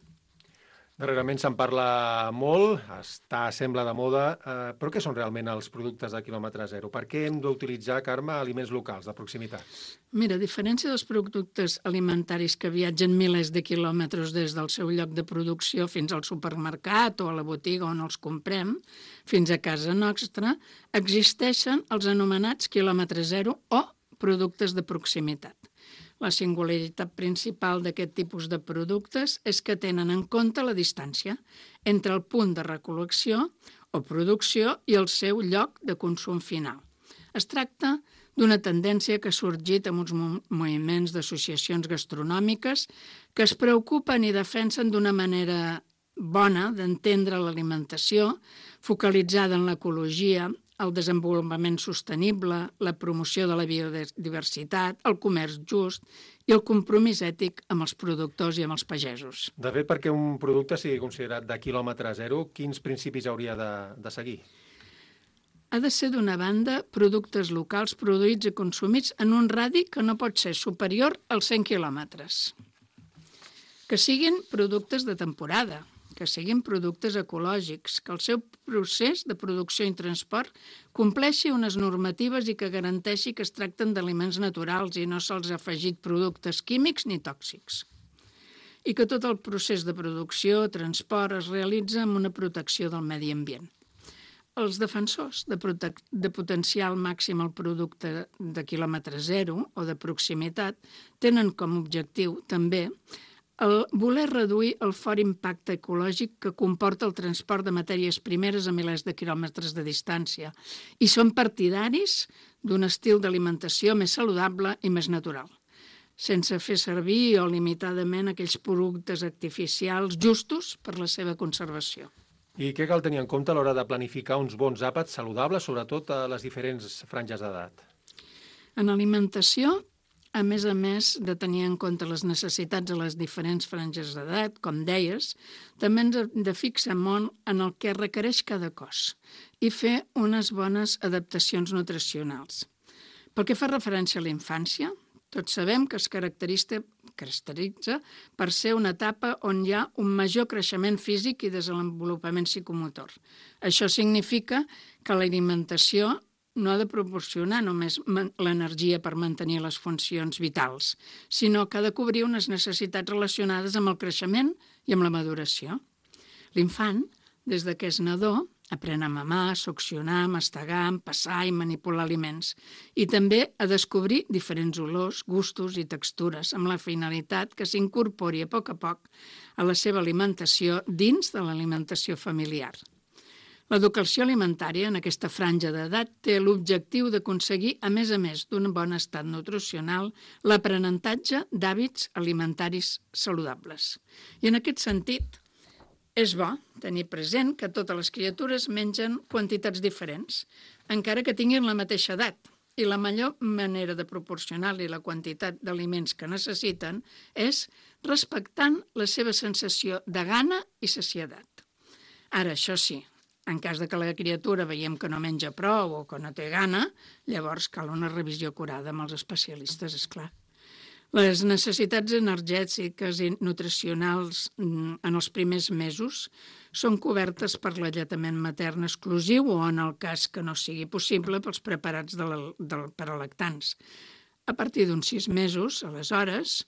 Darrerament se'n parla molt, està, sembla de moda, eh, però què són realment els productes de quilòmetre zero? Per què hem d'utilitzar, Carme, aliments locals, de proximitat? Mira, a diferència dels productes alimentaris que viatgen milers de quilòmetres des del seu lloc de producció fins al supermercat o a la botiga on els comprem, fins a casa nostra, existeixen els anomenats quilòmetre zero o productes de proximitat. La singularitat principal d'aquest tipus de productes és que tenen en compte la distància entre el punt de recol·lecció o producció i el seu lloc de consum final. Es tracta d'una tendència que ha sorgit amb uns moviments d'associacions gastronòmiques que es preocupen i defensen d'una manera bona d'entendre l'alimentació, focalitzada en l'ecologia, el desenvolupament sostenible, la promoció de la biodiversitat, el comerç just i el compromís ètic amb els productors i amb els pagesos. De fet, perquè un producte sigui considerat de quilòmetre zero, quins principis hauria de, de seguir? Ha de ser, d'una banda, productes locals produïts i consumits en un radi que no pot ser superior als cent quilòmetres. Que siguin productes de temporada, que siguin productes ecològics, que el seu procés de producció i transport compleixi unes normatives i que garanteixi que es tracten d'aliments naturals i no se'ls ha afegit productes químics ni tòxics. I que tot el procés de producció, transport, es realitza amb una protecció del medi ambient. Els defensors de, de potenciar al màxim el producte de quilòmetre zero o de proximitat tenen com a objectiu també el voler reduir el fort impacte ecològic que comporta el transport de matèries primeres a milers de quilòmetres de distància i són partidaris d'un estil d'alimentació més saludable i més natural, sense fer servir o limitadament aquells productes artificials justos per la seva conservació. I què cal tenir en compte a l'hora de planificar uns bons àpats saludables, sobretot a les diferents franges d'edat? En alimentació, a més a més de tenir en compte les necessitats a les diferents franges d'edat, com deies, també ens hem de fixar molt en el que requereix cada cos i fer unes bones adaptacions nutricionals. Pel que fa referència a la infància, tots sabem que es caracteritza, caracteritza per ser una etapa on hi ha un major creixement físic i desenvolupament psicomotor. Això significa que l'alimentació no ha de proporcionar només l'energia per mantenir les funcions vitals, sinó que ha de cobrir unes necessitats relacionades amb el creixement i amb la maduració. L'infant, des de que és nadó, aprèn a mamar, succionar, mastegar, empassar i manipular aliments, i també a descobrir diferents olors, gustos i textures, amb la finalitat que s'incorpori a poc a poc a la seva alimentació dins de l'alimentació familiar. L'educació alimentària en aquesta franja d'edat té l'objectiu d'aconseguir, a més a més d'un bon estat nutricional, l'aprenentatge d'hàbits alimentaris saludables. I en aquest sentit, és bo tenir present que totes les criatures mengen quantitats diferents, encara que tinguin la mateixa edat, I la millor manera de proporcionar-li la quantitat d'aliments que necessiten és respectant la seva sensació de gana i saciedat. Ara, això sí, en cas de que la criatura veiem que no menja prou o que no té gana, llavors cal una revisió acurada amb els especialistes, és clar. Les necessitats energètiques i nutricionals en els primers mesos són cobertes per l'alletament matern exclusiu o, en el cas que no sigui possible, pels preparats de la, de, per a lactants. A partir d'uns sis mesos, aleshores,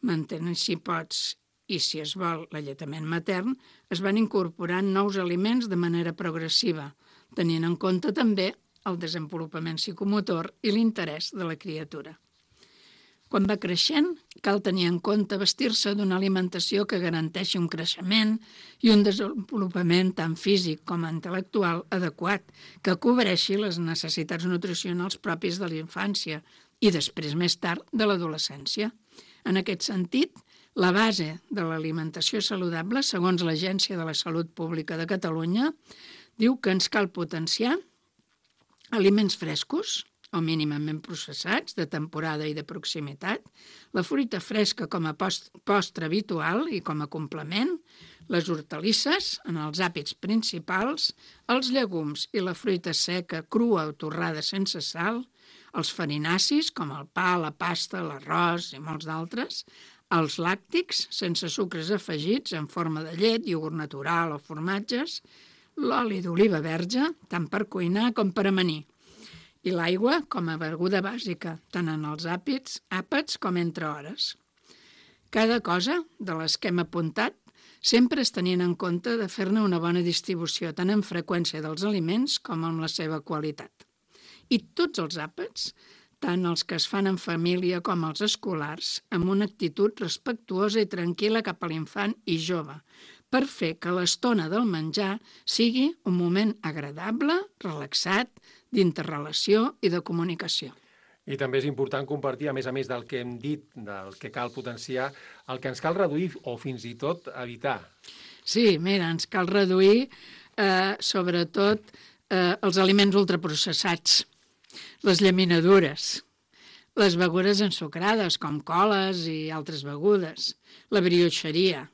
mantenen, si pots, i si es vol l'alletament matern, es van incorporant nous aliments de manera progressiva, tenint en compte també el desenvolupament psicomotor i l'interès de la criatura. Quan va creixent, cal tenir en compte vestir-se d'una alimentació que garanteixi un creixement i un desenvolupament tant físic com intel·lectual adequat, que cobreixi les necessitats nutricionals pròpies de la infància i després, més tard, de l'adolescència. En aquest sentit, la base de l'alimentació saludable, segons l'Agència de la Salut Pública de Catalunya, diu que ens cal potenciar aliments frescos, o mínimament processats, de temporada i de proximitat, la fruita fresca com a post, postre habitual i com a complement, les hortalisses en els hàbits principals, els llegums i la fruita seca, crua o torrada sense sal, els farinacis com el pa, la pasta, l'arròs i molts d'altres, els làctics sense sucres afegits en forma de llet, iogurt natural o formatges, l'oli d'oliva verge, tant per cuinar com per amanir, i l'aigua com a beguda bàsica, tant en els àpats, àpats com entre hores. Cada cosa de les que hem apuntat sempre es tenien en compte de fer-ne una bona distribució, tant en freqüència dels aliments com en la seva qualitat. I tots els àpats, tant els que es fan en família com els escolars, amb una actitud respectuosa i tranquil·la cap a l'infant i jove, per fer que l'estona del menjar sigui un moment agradable, relaxat, d'interrelació i de comunicació. I també és important compartir, a més a més del que hem dit, del que cal potenciar, el que ens cal reduir o fins i tot evitar. Sí, mira, ens cal reduir eh, sobretot eh, els aliments ultraprocessats, les llaminadures, les begudes ensucrades com coles i altres begudes, la brioixeria,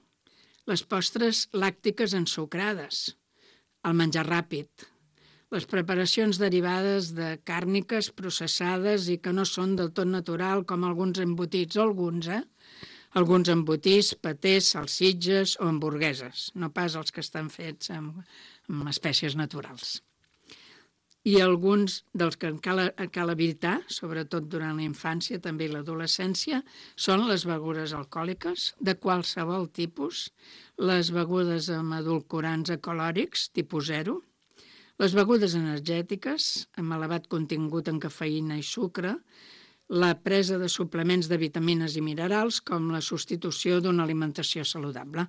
les postres làctiques ensucrades, el menjar ràpid, les preparacions derivades de càrniques processades i que no són del tot natural, com alguns embotits, o alguns, eh? Alguns embotits, patés, salsitges o hamburgueses, no pas els que estan fets amb, amb espècies naturals. I alguns dels que cal, cal evitar, sobretot durant la infància, també i l'adolescència, són les begudes alcohòliques de qualsevol tipus, les begudes amb edulcorants ecolòrics, tipus zero, les begudes energètiques, amb elevat contingut en cafeïna i sucre, la presa de suplements de vitamines i minerals, com la substitució d'una alimentació saludable.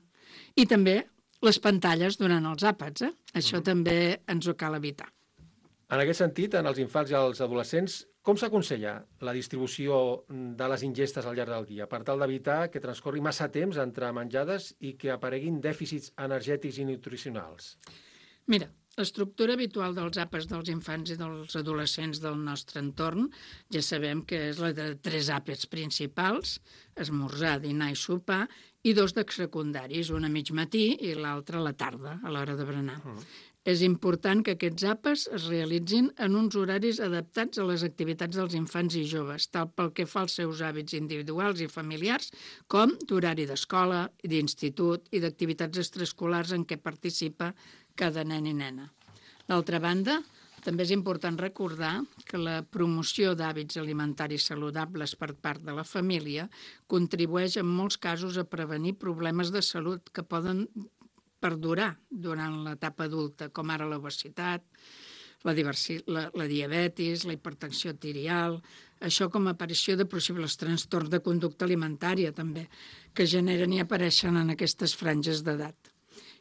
I també les pantalles durant els àpats, eh? Això mm. també ens ho cal evitar. En aquest sentit, en els infants i els adolescents, com s'aconsella la distribució de les ingestes al llarg del dia per tal d'evitar que transcorri massa temps entre menjades i que apareguin dèficits energètics i nutricionals? Mira, l'estructura habitual dels àpats dels infants i dels adolescents del nostre entorn ja sabem que és la de tres àpats principals, esmorzar, dinar i sopar, i dos de secundaris, un a mig matí i l'altre a la tarda, a l'hora de berenar. Mm. És important que aquests àpats es realitzin en uns horaris adaptats a les activitats dels infants i joves, tal pel que fa als seus hàbits individuals i familiars, com d'horari d'escola, d'institut i d'activitats extraescolars en què participa cada nen i nena. D'altra banda, també és important recordar que la promoció d'hàbits alimentaris saludables per part de la família contribueix en molts casos a prevenir problemes de salut que poden perdurar durant l'etapa adulta, com ara l'obesitat, la, la, la diabetis, la hipertensió arterial, això com a aparició de possibles trastorns de conducta alimentària també, que generen i apareixen en aquestes franges d'edat.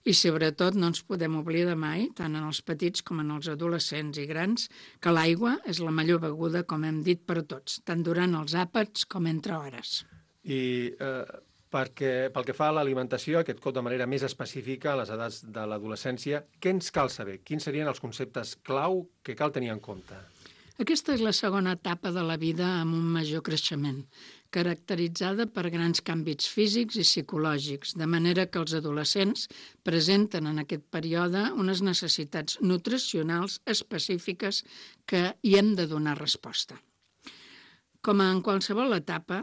I sobretot no ens podem oblidar mai, tant en els petits com en els adolescents i grans, que l'aigua és la millor beguda, com hem dit, per a tots, tant durant els àpats com entre hores. I eh, perquè, pel que fa a l'alimentació, aquest cop de manera més específica a les edats de l'adolescència, què ens cal saber? Quins serien els conceptes clau que cal tenir en compte? Aquesta és la segona etapa de la vida amb un major creixement, caracteritzada per grans canvis físics i psicològics, de manera que els adolescents presenten en aquest període unes necessitats nutricionals específiques que hi hem de donar resposta. Com en qualsevol etapa,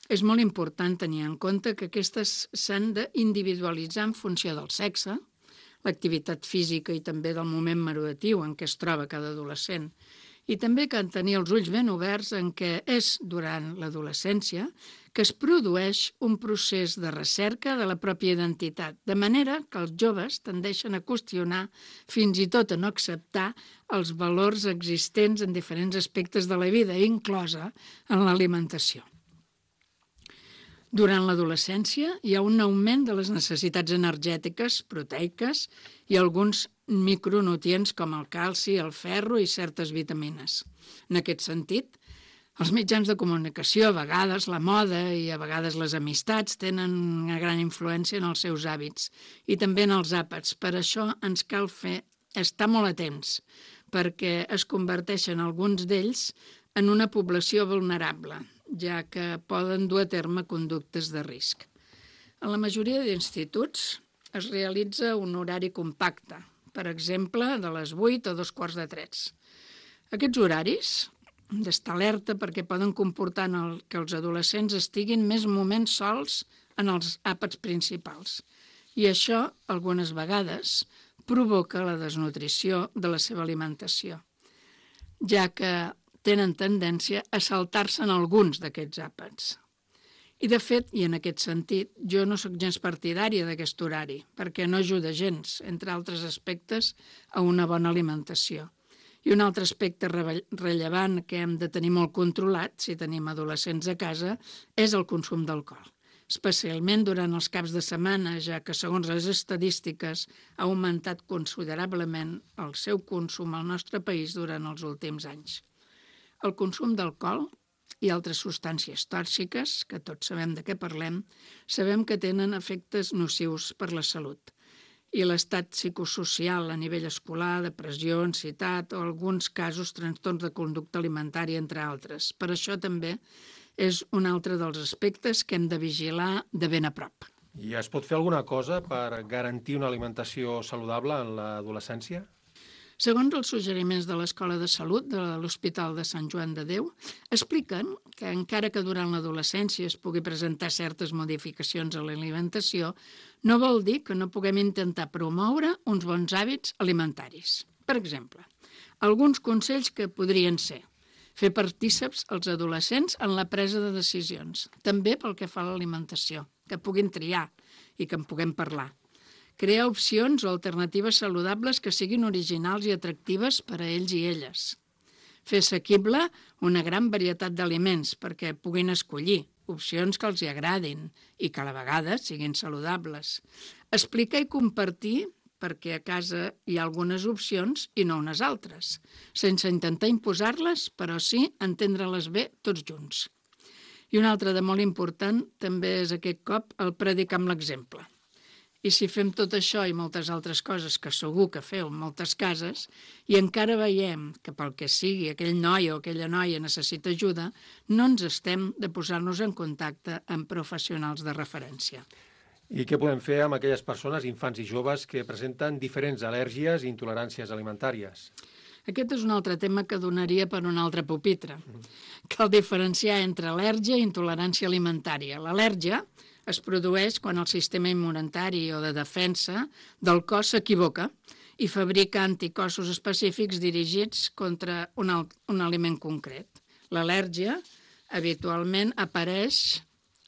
és molt important tenir en compte que aquestes s'han d'individualitzar en funció del sexe, l'activitat física i també del moment maduratiu en què es troba cada adolescent, i també que han de tenir els ulls ben oberts en què és durant l'adolescència que es produeix un procés de recerca de la pròpia identitat, de manera que els joves tendeixen a qüestionar, fins i tot a no acceptar, els valors existents en diferents aspectes de la vida, inclosa en l'alimentació. Durant l'adolescència hi ha un augment de les necessitats energètiques, proteiques i alguns micronutrients com el calci, el ferro i certes vitamines. En aquest sentit, els mitjans de comunicació, a vegades la moda i a vegades les amistats tenen una gran influència en els seus hàbits i també en els àpats. Per això ens cal fer estar molt atents, perquè es converteixen alguns d'ells en una població vulnerable, ja que poden dur a terme conductes de risc. En la majoria d'instituts es realitza un horari compacte, per exemple, de les vuit a dos quarts de tres. Aquests horaris d'estar alerta perquè poden comportar que els adolescents estiguin més moments sols en els àpats principals. I això, algunes vegades, provoca la desnutrició de la seva alimentació, ja que tenen tendència a saltar-se'n alguns d'aquests àpats. I de fet, i en aquest sentit, jo no sóc gens partidària d'aquest horari, perquè no ajuda gens, entre altres aspectes, a una bona alimentació. I un altre aspecte rellevant que hem de tenir molt controlat, si tenim adolescents a casa, és el consum d'alcohol, especialment durant els caps de setmana, ja que, segons les estadístiques, ha augmentat considerablement el seu consum al nostre país durant els últims anys. El consum d'alcohol i altres substàncies tòxiques, que tots sabem de què parlem, sabem que tenen efectes nocius per la salut. I l'estat psicosocial a nivell escolar, depressió, ansietat o alguns casos trastorns de conducta alimentària, entre altres. Per això també és un altre dels aspectes que hem de vigilar de ben a prop. I es pot fer alguna cosa per garantir una alimentació saludable en l'adolescència? Segons els suggeriments de l'Escola de Salut de l'Hospital de Sant Joan de Déu, expliquen que encara que durant l'adolescència es pugui presentar certes modificacions a l'alimentació, no vol dir que no puguem intentar promoure uns bons hàbits alimentaris. Per exemple, alguns consells que podrien ser fer partíceps als adolescents en la presa de decisions, també pel que fa a l'alimentació, que puguin triar i que en puguem parlar. Crear opcions o alternatives saludables que siguin originals i atractives per a ells i elles. Fer assequible una gran varietat d'aliments perquè puguin escollir opcions que els hi agradin i que a la vegada siguin saludables. Explicar i compartir perquè a casa hi ha algunes opcions i no unes altres, sense intentar imposar-les, però sí entendre-les bé tots junts. I un altre de molt important també és aquest cop el predicar amb l'exemple. I si fem tot això i moltes altres coses que segur que feu en moltes cases i encara veiem que pel que sigui aquell noi o aquella noia necessita ajuda, no ens estem de posar-nos en contacte amb professionals de referència. I què podem fer amb aquelles persones, infants i joves, que presenten diferents al·lèrgies i intoleràncies alimentàries? Aquest és un altre tema que donaria per un altre pupitre. Cal diferenciar entre al·lèrgia i intolerància alimentària. L'al·lèrgia es produeix quan el sistema immunitari o de defensa del cos s'equivoca i fabrica anticossos específics dirigits contra un, un aliment concret. L'al·lèrgia habitualment apareix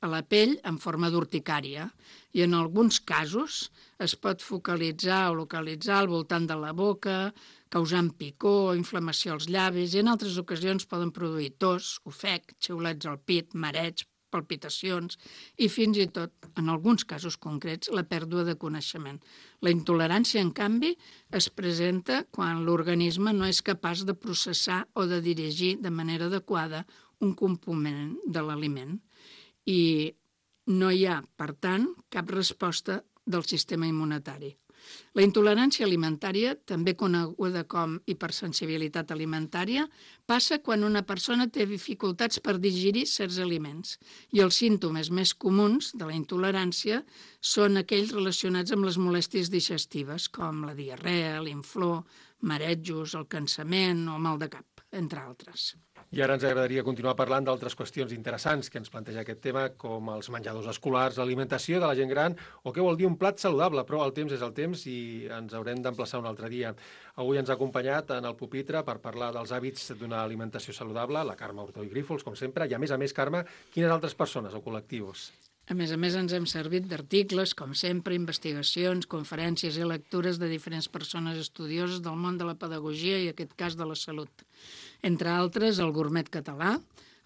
a la pell en forma d'urticària i en alguns casos es pot focalitzar o localitzar al voltant de la boca, causant picor o inflamació als llavis i en altres ocasions poden produir tos, ofec, xiulets al pit, mareig, palpitacions i fins i tot, en alguns casos concrets, la pèrdua de coneixement. La intolerància, en canvi, es presenta quan l'organisme no és capaç de processar o de dirigir de manera adequada un component de l'aliment i no hi ha, per tant, cap resposta del sistema immunitari. La intolerància alimentària, també coneguda com hipersensibilitat alimentària, passa quan una persona té dificultats per digerir certs aliments i els símptomes més comuns de la intolerància són aquells relacionats amb les molèsties digestives, com la diarrea, l'inflor, marejos, el cansament o mal de cap, entre altres. I ara ens agradaria continuar parlant d'altres qüestions interessants que ens planteja aquest tema, com els menjadors escolars, l'alimentació de la gent gran, o què vol dir un plat saludable, però el temps és el temps i ens haurem d'emplaçar un altre dia. Avui ens ha acompanyat en el pupitre per parlar dels hàbits d'una alimentació saludable, la Carme Hurtó i Grífols, com sempre, i a més a més, Carme, quines altres persones o col·lectius? A més a més, ens hem servit d'articles, com sempre, investigacions, conferències i lectures de diferents persones estudioses del món de la pedagogia i, en aquest cas, de la salut. Entre altres, el Gourmet Català,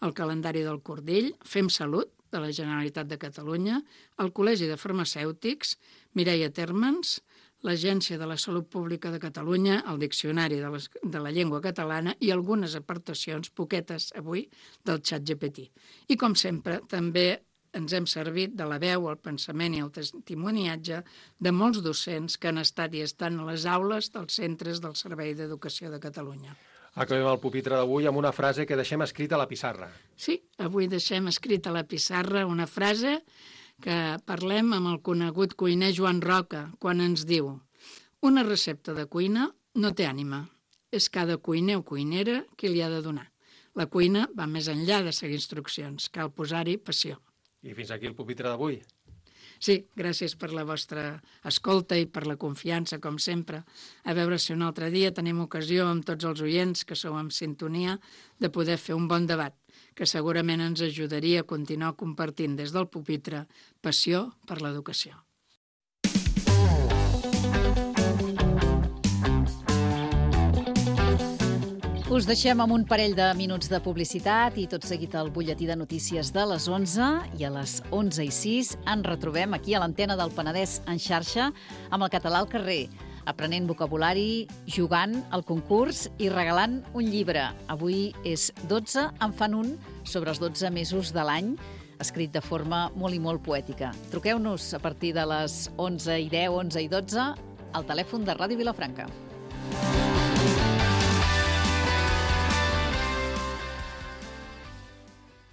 el Calendari del Cordill, Fem Salut, de la Generalitat de Catalunya, el Col·legi de Farmacèutics, Mireia Termens, l'Agència de la Salut Pública de Catalunya, el Diccionari de, les, de la Llengua Catalana i algunes aportacions, poquetes avui, del ChatGPT. I, com sempre, també ens hem servit de la veu, el pensament i el testimoniatge de molts docents que han estat i estan a les aules dels centres del Servei d'Educació de Catalunya. Acabem el pupitre d'avui amb una frase que deixem escrita a la pissarra. Sí, avui deixem escrita a la pissarra una frase que parlem amb el conegut cuiner Joan Roca, quan ens diu: una recepta de cuina no té ànima, és cada cuiner o cuinera qui li ha de donar. La cuina va més enllà de seguir instruccions, cal posar-hi passió. I fins aquí el pupitre d'avui. Sí, gràcies per la vostra escolta i per la confiança, com sempre. A veure si un altre dia tenim ocasió amb tots els oients que sou en sintonia de poder fer un bon debat, que segurament ens ajudaria a continuar compartint des del pupitre passió per l'educació. Us deixem amb un parell de minuts de publicitat i tot seguit el butlletí de notícies de les onze, i a les onze i sis ens retrobem aquí a l'antena del Penedès en xarxa amb el català al carrer, aprenent vocabulari, jugant al concurs i regalant un llibre. Avui és dotze, en fan un sobre els dotze mesos de l'any, escrit de forma molt i molt poètica. Truqueu-nos a partir de les onze i deu, onze i dotze, al telèfon de Ràdio Vilafranca.